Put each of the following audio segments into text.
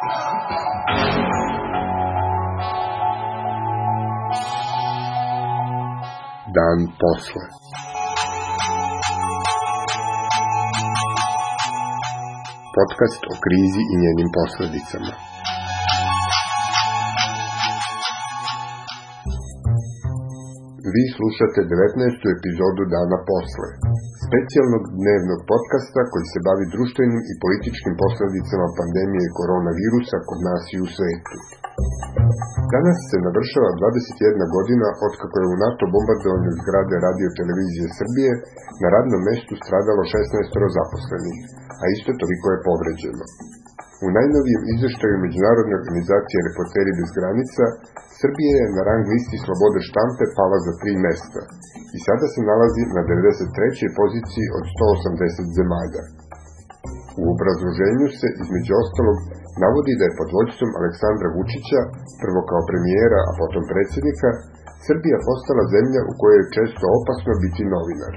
Dan posle. Podcast o krizi i njenim posledicama. Vi slušate 19. epizodu Dana posle, specijalnog dnevnog podcasta koji se bavi društvenim i političkim posledicama pandemije koronavirusa kod nas i u svetu. Danas se navršava 21 godina otkako je u NATO bombardovanju zgrade Radio televizije Srbije na radnom mestu stradalo 16 zaposlenih, a isto toliko je povređeno. U najnovijem izveštaju Međunarodne organizacije Reporteri bez granica, Srbija je na rang listi slobode štampe pala za 3 mesta i sada se nalazi na 93. poziciji od 180 zemalja. U obrazloženju se, između ostalog, navodi da je pod vođstvom Aleksandra Vučića, prvo kao premijera, a potom predsjednika, Srbija postala zemlja u kojoj je često opasno biti novinar.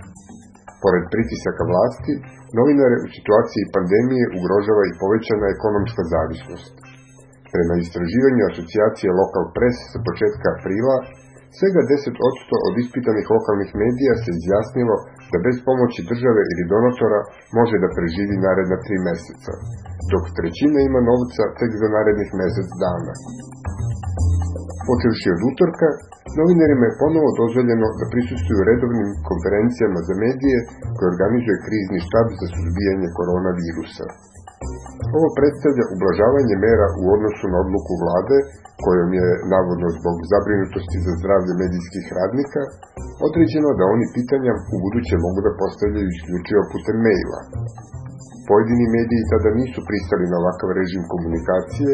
Pored pritisaka vlasti, novinare u situaciji pandemije ugrožava i povećana ekonomska zavisnost. Prema istraživanju asocijacije Local Press sa početka aprila, svega 10% od ispitanih lokalnih medija se izjasnilo da bez pomoći države ili donatora može da preživi naredna 3 meseca, dok trećina ima novca tek za narednih mesec dana. Počevši od utorka, novinarima je ponovo dozvoljeno da prisustvuju redovnim konferencijama za medije koje organizuje krizni štab za suzbijanje koronavirusa. Ovo predstavlja ublažavanje mera u odnosu na odluku vlade, kojom je, navodno zbog zabrinutosti za zdravlje medijskih radnika, određeno da oni pitanja u buduće mogu da postavljaju isključivo putem maila. Pojedini mediji tada nisu pristali na ovakav režim komunikacije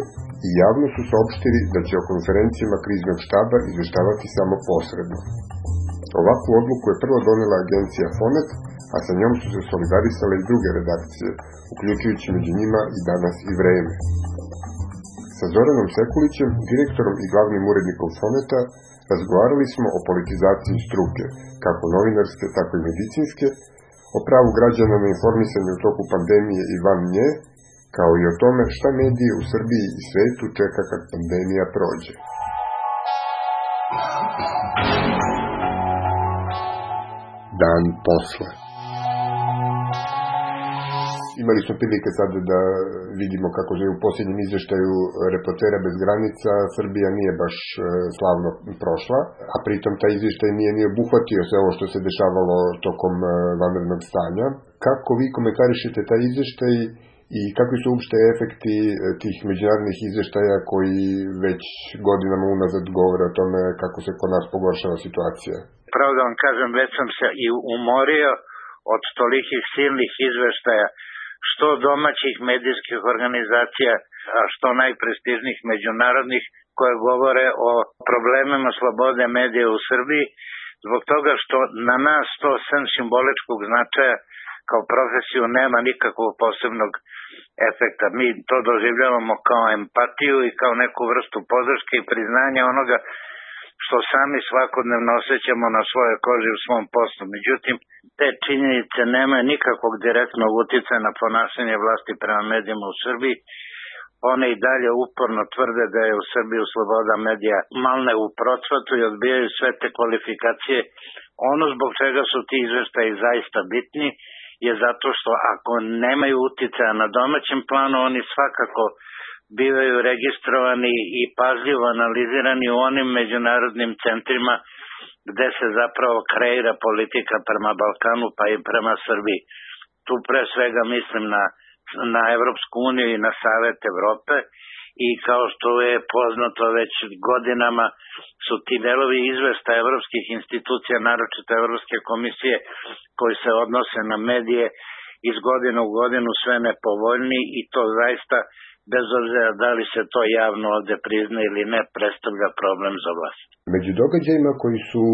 i javno su saopštili da će o konferencijama kriznog štaba izveštavati samo posredno. Ovakvu odluku je prvo donela agencija Fonet, a sa njom su se solidarisale i druge redakcije, uključujući među njima i Danas i Vreme. Sa Zoranom Sekulićem, direktorom i glavnim urednikom Foneta, razgovarali smo o politizaciji struke, kako novinarske, tako i medicinske, o pravu građana na informisanje u toku pandemije i van nje, kao i o tome šta medije u Srbiji i svetu čeka kad pandemija prođe. Dan posle. Imali smo prilike sad da vidimo kako je u posljednjem izveštaju Reportera bez granica Srbija nije baš slavno prošla, a pritom taj izveštaj nije ni obuhvatio sve ovo što se dešavalo tokom vanrednog stanja. Kako vi komentarišete taj izveštaj i kakvi su uopšte efekti tih međunarodnih izveštaja koji već godinama unazad govore o tome kako se kod nas pogoršava situacija? Pravo da vam kažem, već sam se i umorio od tolikih silnih izveštaja, što domaćih medijskih organizacija, a što najprestižnijih međunarodnih, koje govore o problemima slobode medija u Srbiji, zbog toga što na nas to sem simboličkog značaja kao profesiju nema nikakvog posebnog efekta. Mi to doživljavamo kao empatiju i kao neku vrstu podrške i priznanja onoga što sami svakodnevno osjećamo na svojoj koži u svom poslu. Međutim, te činjenice nemaju nikakvog direktnog uticaja na ponašanje vlasti prema medijima u Srbiji. One i dalje uporno tvrde da je u Srbiji sloboda medija malne u procvatu i odbijaju sve te kvalifikacije. Ono zbog čega su ti izveštaji zaista bitni je zato što ako nemaju uticaja na domaćem planu, oni svakako bivaju registrovani i pažljivo analizirani u onim međunarodnim centrima gde se zapravo kreira politika prema Balkanu pa i prema Srbiji. Tu pre svega mislim na Evropsku uniju i na Savet Evrope i kao što je poznato već godinama su ti delovi izveštaja evropskih institucija, naročito Evropske komisije koji se odnose na medije iz godine u godinu sve nepovoljniji i to zaista bez obzira da li se to javno ovde prizna ili ne, predstavlja problem za vlast. Među događajima koji su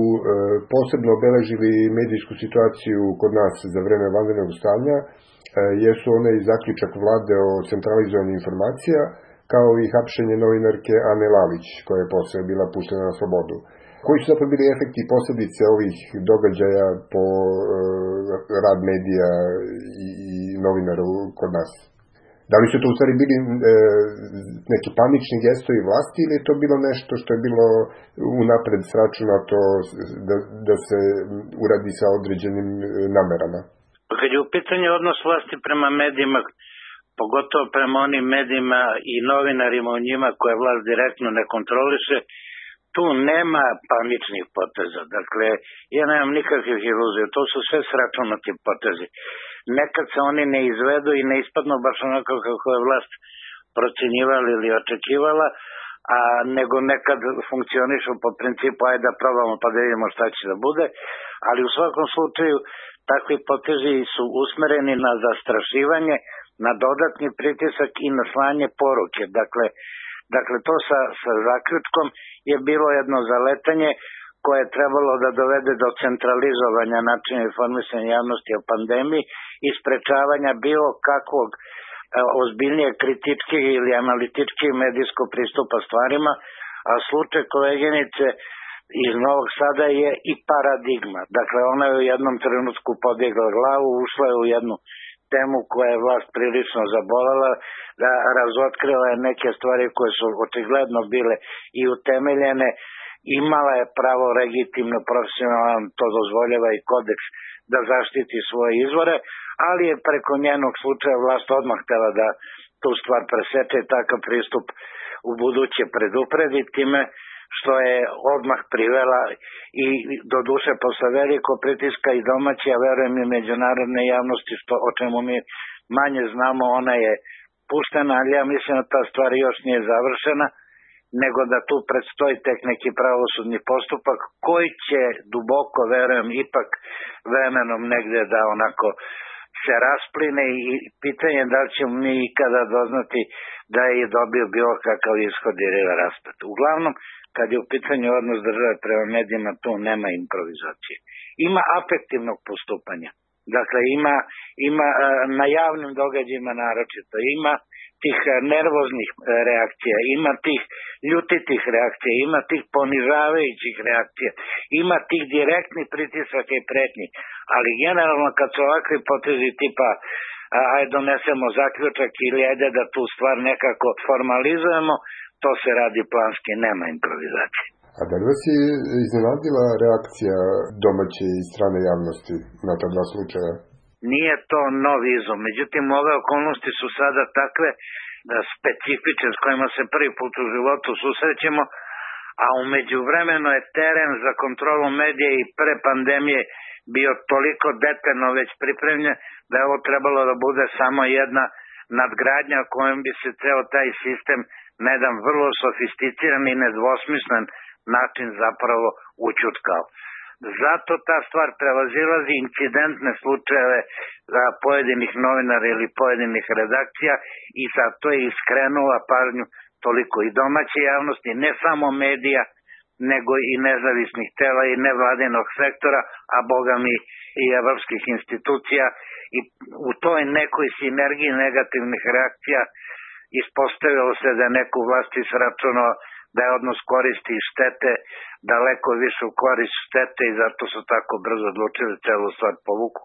posebno obeležili medijsku situaciju kod nas za vreme vanrednog stanja jesu onaj zaključak vlade o centralizovanju informacija, kao i hapšenje novinarke Ane Lalić, koja je posle bila puštena na slobodu. Koji su zapravo bili efekti i posljedice ovih događaja po rad medija i novinara kod nas? Da li su to u stvari bili neki panični gestovi vlasti ili je to bilo nešto što je bilo unapred sračunato da se uradi sa određenim namerama? Kad je u pitanju odnos vlasti prema medijima, pogotovo prema onim medijima i novinarima u njima koje vlast direktno ne kontroliše, tu nema paničnih poteza. Dakle, ja nemam nikakvih iluzija, to su sve sračunati potezi. Nekad se oni ne izvedu i ne ispadnu baš onako kako je vlast procenjivala ili očekivala, nego nekad funkcionišu po principu ajde da probamo pa da vidimo šta će da bude, ali u svakom slučaju takvi potezi su usmereni na zastrašivanje, na dodatni pritisak i na slanje poruke. Dakle, to sa zaključkom je bilo jedno zaletanje koje je trebalo da dovede do centralizovanja načina informisanja javnosti o pandemiji i sprečavanja bilo kakvog ozbiljnije kritičkih ili analitičkih medijskog pristupa stvarima, a slučaj koleginice iz Novog Sada je i paradigma. Dakle, ona je u jednom trenutku podigla glavu, ušla je u jednu temu koja je vlast prilično zabolela, da razotkrila je neke stvari koje su očigledno bile i utemeljene, imala je pravo legitimno, profesionalno, to dozvoljava i kodeks, da zaštiti svoje izvore, ali je preko njenog slučaja vlast odmah htela da tu stvar preseče i takav pristup u buduće predupredi time što je odmah privela i do duše posle veliko pritiska i domaće, a verujem i međunarodne javnosti, o čemu mi manje znamo, ona je puštena, ali ja mislim da ta stvar još nije završena, nego da tu predstoji tek neki pravosudni postupak koji će duboko, verujem, ipak vremenom negde da onako se raspline i pitanje da li ćemo mi ikada doznati da je dobio bilo kakav ishod ili raspad. Uglavnom, kad je u pitanju odnos države prema medijima, tu nema improvizacije. Ima afektivnog postupanja. Dakle, ima na javnim događajima naročito, ima tih nervoznih reakcija, ima tih ljutitih reakcija, ima tih ponižavajućih reakcija, ima tih direktnih pritisaka i pretnji, ali generalno kad su ovakvi potezi tipa ajde donesemo zaključak ili ajde da tu stvar nekako formalizujemo, to se radi planski, nema improvizacije. A da li vas je iznenadila reakcija domaće i strane javnosti na ta dva slučaja? Nije to novi izum, međutim ove okolnosti su sada takve specifične s kojima se prvi put u životu susrećemo, a umeđu vremenu je teren za kontrolu medija i pre pandemije bio toliko detaljno već pripremljen da je ovo trebalo da bude samo jedna nadgradnja kojom bi se ceo taj sistem na jedan vrlo sofisticiran i nedvosmislen način zapravo učutkao. Zato ta stvar prevazilazi incidentne slučajeve pojedinih novinara ili pojedinih redakcija i zato je iskrenula pažnju toliko i domaće javnosti, ne samo medija, nego i nezavisnih tela i nevladinog sektora, a boga mi i evropskih institucija, i u toj nekoj sinergiji negativnih reakcija ispostavilo se da je neku vlasti sračunao da je odnos koristi i štete daleko više u korist štete i zato su tako brzo odlučili celu stvar povuku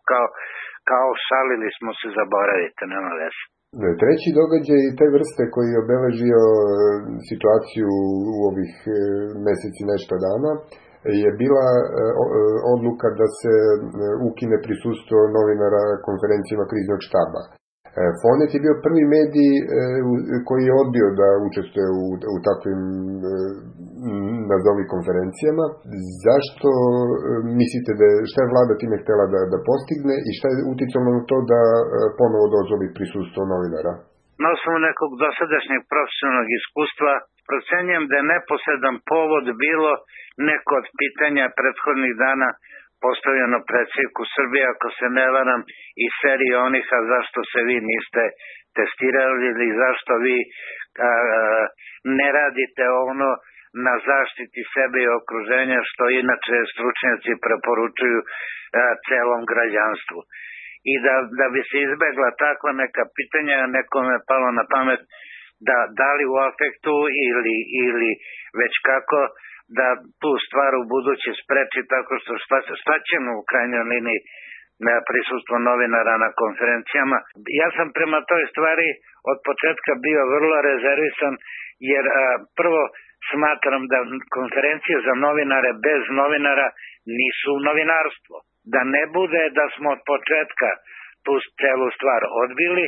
kao šalili smo se, zaboravite, nema veze. Treći događaj te vrste koji je obeležio situaciju u ovih meseci nešto dana je bila odluka da se ukine prisustvo novinara konferencijama kriznog štaba. Fonet je bio prvi medij koji je odbio da učestvuje u takvim nazovi konferencijama. Zašto mislite šta je vlada time htjela da postigne i šta je uticalo na to da ponovo dozvoli prisustvo novinara? Na osnovu nekog dosadašnjeg profesionalnog iskustva procenjujem da je neposredan povod bilo neko od pitanja prethodnih dana postavljeno predsjedniku Srbije, ako se ne varam, i serije onih, a zašto se vi niste testirali ili zašto vi ne radite ono na zaštiti sebe i okruženja što inače stručnjaci preporučuju celom građanstvu. I da bi se izbegla takva neka pitanja, nekome je palo na pamet da li u afektu ili već kako da tu stvar u buduće spreči tako što šta ćemo u krajnjoj liniji prisustvo novinara na konferencijama. Ja sam prema toj stvari od početka bio vrlo rezervisan, jer prvo smatram da konferencije za novinare bez novinara nisu novinarstvo. Da ne bude da smo od početka tu celu stvar odbili.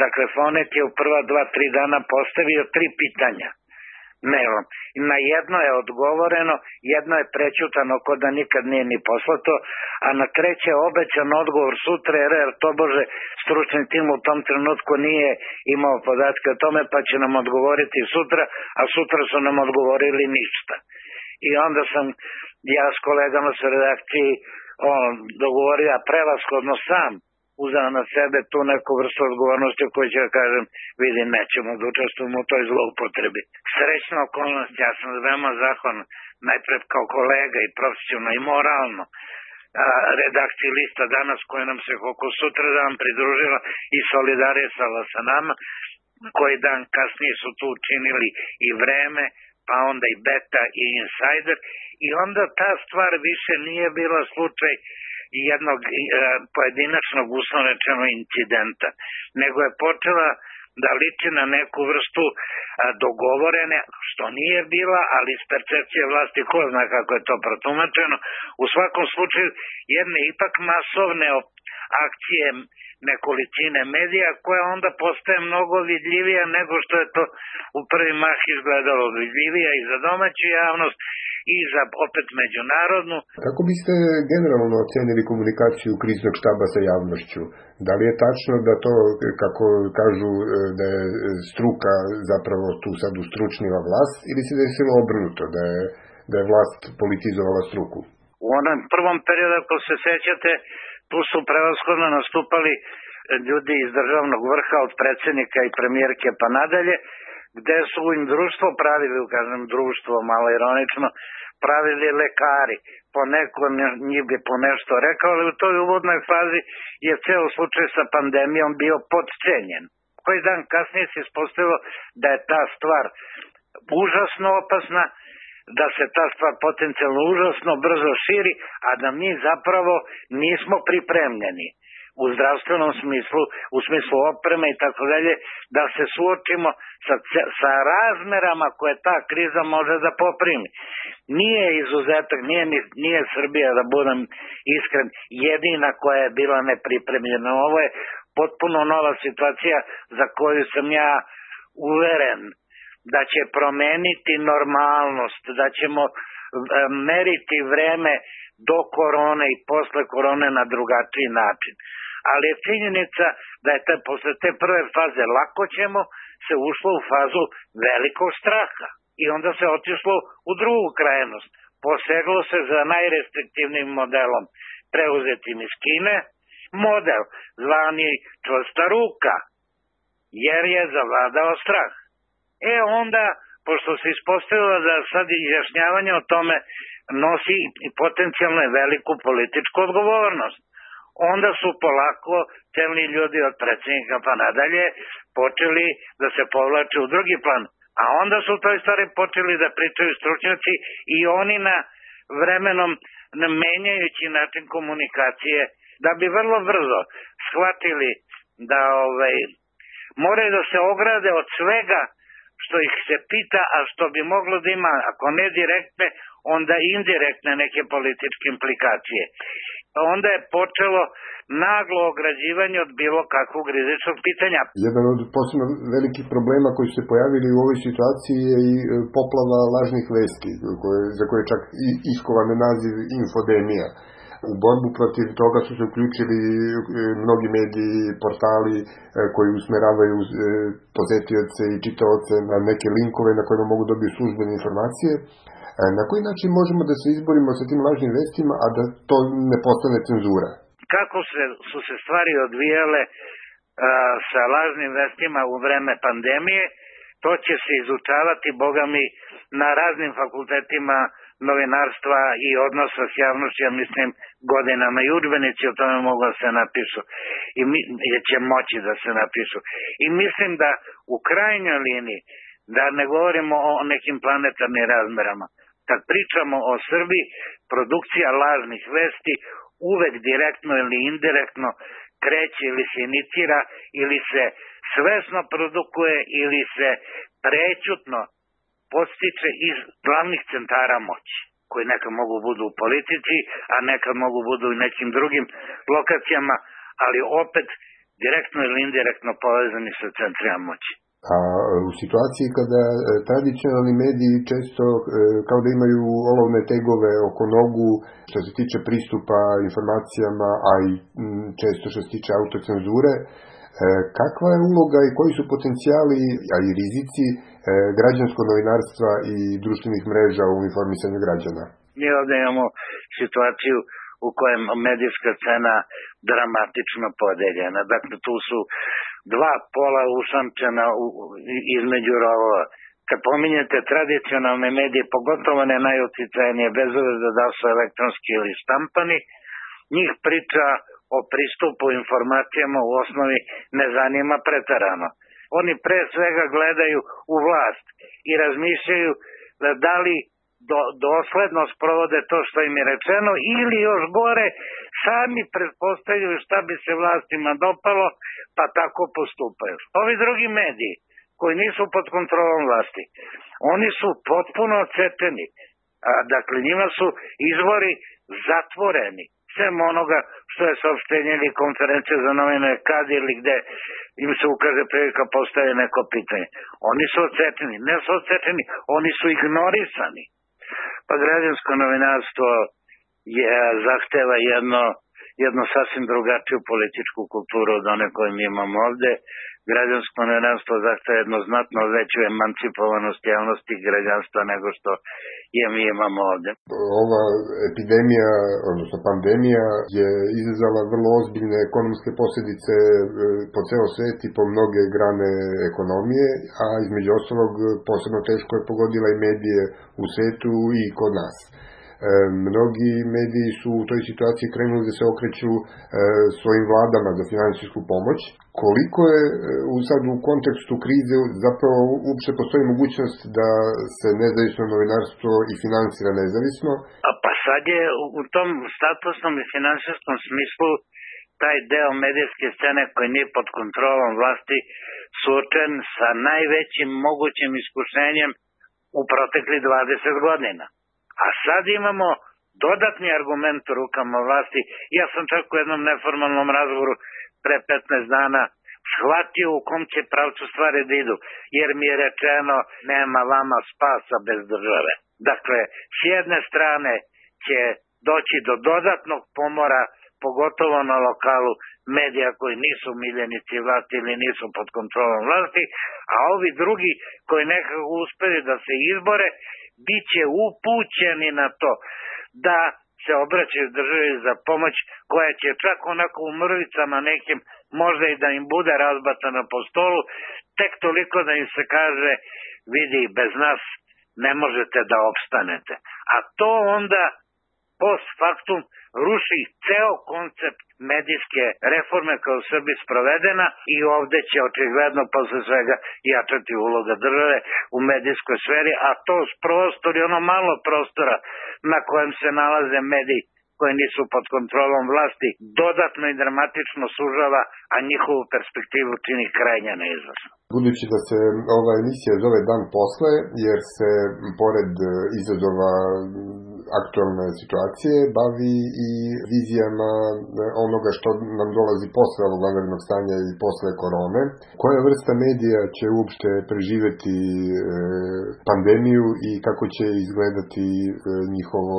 Dakle, Fonet je u prva 2-3 dana postavio 3 pitanja mailom. Na jedno je odgovoreno, jedno je prećutano ko da nikad nije ni poslato, a na treće je obećan odgovor sutra, jer tobože stručni tim u tom trenutku nije imao podatke o tome, pa će nam odgovoriti sutra, a sutra su nam odgovorili ništa. I onda sam ja s kolegama sa redakciji dogovorio prevashodno sam uzeo na sebe tu neku vrstu odgovornosti koju će da kažem, vidim, nećemo da učestvujemo u toj zloupotrebi. Srećna okolnost, ja sam veoma zahvalan, najpred kao kolega i profesionalno i moralno, redakciji Lista Danas koja nam se oko sutra dan pridružila i solidarisala sa nama, koji dan kasnije su tu učinili i Vreme, pa onda i Beta i Insider, i onda ta stvar više nije bila slučaj jednog pojedinačnog uslovno rečeno incidenta, nego je počela da liči na neku vrstu dogovorene, što nije bila, ali iz percepcije vlasti ko zna kako je to protumačeno, u svakom slučaju jedne ipak masovne akcije nekolicine medija koja onda postaje mnogo vidljivija nego što je to u prvi mah izgledalo, vidljivija i za domaću javnost i za opet međunarodnu. Kako biste generalno ocenili komunikaciju kriznog štaba sa javnošću? Da li je tačno da to, kako kažu, da je struka zapravo tu sad ustručnila vlast, ili se desilo obrnuto, da je vlast politizovala struku? U onom prvom periodu, ako se sećate, tu su prevashodno nastupali ljudi iz državnog vrha, od predsjednika i premijerke pa nadalje, gde su im društvo pravili, kažem društvo, malo ironično, pravili lekari. Poneko njih bi po nešto rekao, ali u toj uvodnoj fazi je ceo slučaj sa pandemijom bio podcenjen. Koji dan kasnije se ispostavilo da je ta stvar užasno opasna, da se ta stvar potencijalno užasno brzo širi, a da mi zapravo nismo pripremljeni u zdravstvenom smislu, u smislu opreme i tako dalje, da se suočimo sa razmerama koje ta kriza može da poprimi. Nije izuzetak, nije Srbija, da budem iskren, jedina koja je bila nepripremljena. Ovo je potpuno nova situacija za koju sam ja uveren da će promeniti normalnost, da ćemo meriti vreme do korone i posle korone na drugačiji način. Ali je činjenica da je posle te prve faze lako ćemo se ušlo u fazu velikog straha. I onda se otišlo u drugu krajnost. Poseglo se za najrestriktivnijim modelom preuzetim iz Kine, model zvani čvrsta ruka, jer je zavladao strah. Onda, pošto se ispostavilo da sad izjašnjavanje o tome nosi i potencijalno veliku političku odgovornost, onda su polako čelni ljudi od predsjednika pa nadalje počeli da se povlače u drugi plan. A onda su u toj stvari počeli da pričaju stručnjaci i oni na vremenom menjajući način komunikacije, da bi vrlo brzo shvatili da moraju da se ograde od svega što ih se pita, a što bi moglo da ima, ako ne direktne, onda indirektne neke političke implikacije. Onda je počelo naglo ograđivanje od bilo kakvog rizičnog pitanja. Jedan od posebno velikih problema koji su se pojavili u ovoj situaciji je i poplava lažnih vesti, za koje je čak iskovan naziv infodemija. U borbu protiv toga su se uključili mnogi mediji, portali koji usmeravaju posetioce i čitaoce na neke linkove na kojima mogu dobiti službene informacije. Na koji način možemo da se izborimo sa tim lažnim vestima, a da to ne postane cenzura? Kako su se stvari odvijale sa lažnim vestima u vreme pandemije, to će se izučavati, boga mi, na raznim fakultetima novinarstva i odnosa s javnošću, ja mislim, godinama, i udžbenici o tome mogu da se napišu i će moći da se napišu. I mislim da u krajnjoj liniji, da ne govorimo o nekim planetarnim razmerama, kad pričamo o Srbiji, produkcija lažnih vesti uvek direktno ili indirektno kreće ili se inicira ili se svesno produkuje ili se prećutno podstiče iz glavnih centara moći, koji nekad mogu budu u politici, a nekad mogu budu i nekim drugim lokacijama, ali opet direktno ili indirektno povezani sa centrima moći. A u situaciji kada tradicionalni mediji često kao da imaju olovne tegove oko nogu što se tiče pristupa informacijama, a i često što se tiče autocenzure, kakva je uloga i koji su potencijali, a i rizici građanskog novinarstva i društvenih mreža u informisanju građana? Mi ovdje imamo situaciju u kojem medijska scena dramatično podeljena. Dakle, tu su dva pola usamčena između rovova. Kad pominjete tradicionalne medije, pogotovo ne najuticajnije, bez obzira da su elektronski ili štampani, njih priča o pristupu informacijama u osnovi ne zanima preterano. Oni pre svega gledaju u vlast i razmišljaju da li dosledno sprovode to što im je rečeno ili još gore sami pretpostavljaju šta bi se vlastima dopalo pa tako postupaju. Ovi drugi mediji koji nisu pod kontrolom vlasti, oni su potpuno odsečeni. Dakle, njima su izvori zatvoreni. Sem onoga što je saopštenje ili konferencija za novinare kad ili gde im se ukaže prilika postaje neko pitanje. Oni su odsečeni. Ne su odsečeni, oni su ignorisani. Pa građansko novinarstvo zahteva jednu sasvim drugačiju političku kulturu od one koju mi imamo ovde. Građansko novinarstvo zahteva jednu znatno veću emancipovanost javnosti građanstva nego što je mi imamo ovde. Ova epidemija, odnosno pandemija, je izazvala vrlo ozbiljne ekonomske posljedice po ceo svet i po mnoge grane ekonomije, a između ostalog posebno teško je pogodila i medije u svetu i kod nas. Mnogi mediji su u toj situaciji krenuli da se okreću svojim vladama za finansijsku pomoć. Koliko je sad u kontekstu krize zapravo uopšte postoji mogućnost da se nezavisno novinarstvo i finansira nezavisno? Pa sad je u tom statusnom i finansijskom smislu taj deo medijske scene koji nije pod kontrolom vlasti suočen sa najvećim mogućim iskušenjem u protekli 20 godina. A sad imamo dodatni argument u rukama vlasti. Ja sam čak u jednom neformalnom razgovoru pre 15 dana shvatio u kom će pravcu stvari da idu, jer mi je rečeno nema vama spasa bez države. Dakle, s jedne strane će doći do dodatnog pomora, pogotovo na lokalu medija koji nisu miljenici vlasti ili nisu pod kontrolom vlasti, a ovi drugi koji nekako uspeli da se izbore, bit će upućeni na to da se obraćaju državi za pomoć koja će čak onako u mrvicama nekim možda i da im bude razbacana po stolu, tek toliko da im se kaže vidi, bez nas ne možete da opstanete. A to onda post factum ruši ceo koncept medijske reforme koja je u Srbiji sprovedena i ovde će očigledno posle svega jačati uloga države u medijskoj sferi, a to prostor i ono malo prostora na kojem se nalaze mediji koji nisu pod kontrolom vlasti dodatno i dramatično sužava, a njihovu perspektivu čini krajnje neizvesno. Budući da se ova emisija zove Dan posle, jer se pored izazova aktualne situacije bavi i vizijama onoga što nam dolazi posle ovog vanrednog stanja i posle korone. Koja vrsta medija će uopšte preživeti pandemiju i kako će izgledati njihovo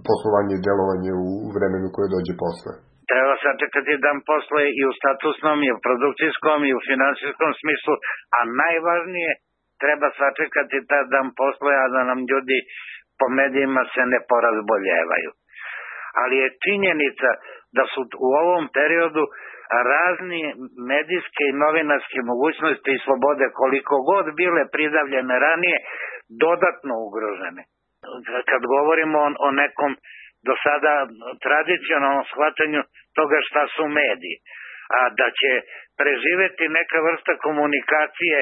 poslovanje i delovanje u vremenu koje dođe posle? Treba sačekati dan posle i u statusnom, i u produkcijskom, i u finansijskom smislu, a najvažnije treba sačekati taj dan posle, a da nam ljudi po medijima se ne porazboljevaju. Ali je činjenica da su u ovom periodu razni medijske i novinarske mogućnosti i slobode, koliko god bile pridavljene ranije, dodatno ugrožene. Kad govorimo o nekom do sada tradicionalnom shvatanju toga šta su mediji, a da će preživeti neka vrsta komunikacije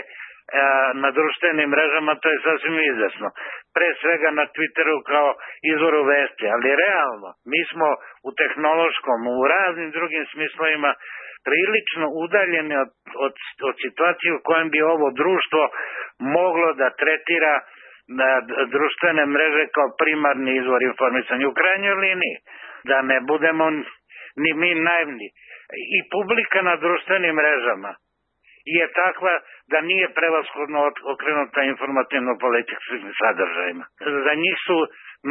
na društvenim mrežama, to je sasvim izvesno. Pre svega na Twitteru kao izvoru vesti, ali realno, mi smo u tehnološkom, u raznim drugim smislovima prilično udaljeni od situacije u kojem bi ovo društvo moglo da tretira društvene mreže kao primarni izvor informisanja. U krajnjoj liniji, da ne budemo ni mi naivni, i publika na društvenim mrežama je takva da nije prevashodno okrenuta informativno-političkim sadržajima. Za njih su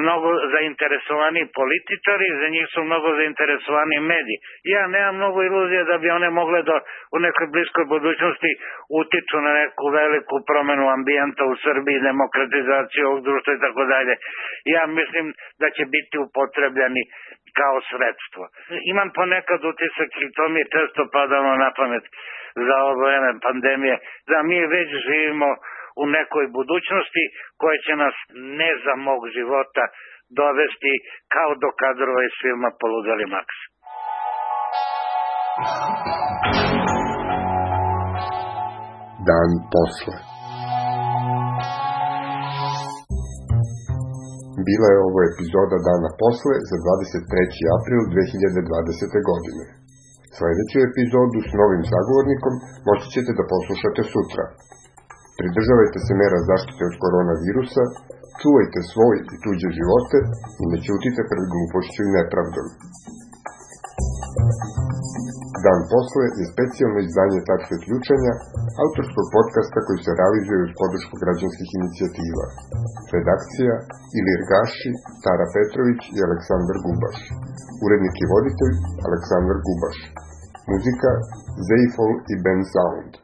mnogo zainteresovani političari, za njih su mnogo zainteresovani mediji. Ja nemam mnogo iluzije da bi one mogle da u nekoj bliskoj budućnosti utiču na neku veliku promenu ambijenta u Srbiji, demokratizaciju ovog društva i tako dalje. Ja mislim da će biti upotrebljeni kao sredstvo. Imam ponekad utisak, i to mi je često padalo na pamet za ovo vreme pandemije, da mi već živimo u nekoj budućnosti koja će nas ne za mog života dovesti kao do kadrova iz filma Poludeli Maks. Dan posle. Bila je ovo epizoda Dana posle za 23. april 2020. godine. Sljedeću epizodu s novim sagovornikom moći ćete da poslušate sutra. Pridržavajte se mera zaštite od koronavirusa, čuvajte svoj i tuđe živote i ne ćutite pred glupošću i nepravdom. Dan posle je specijalno izdanje Tačke ključanja, autorskog podcasta koji se realizuje uz podršku građanskih inicijativa. Redakcija Ilir Gaši, Tara Petrović i Aleksandar Gubaš. Urednik i voditelj Aleksandar Gubaš. Muzika Zeifol i Ben Sound.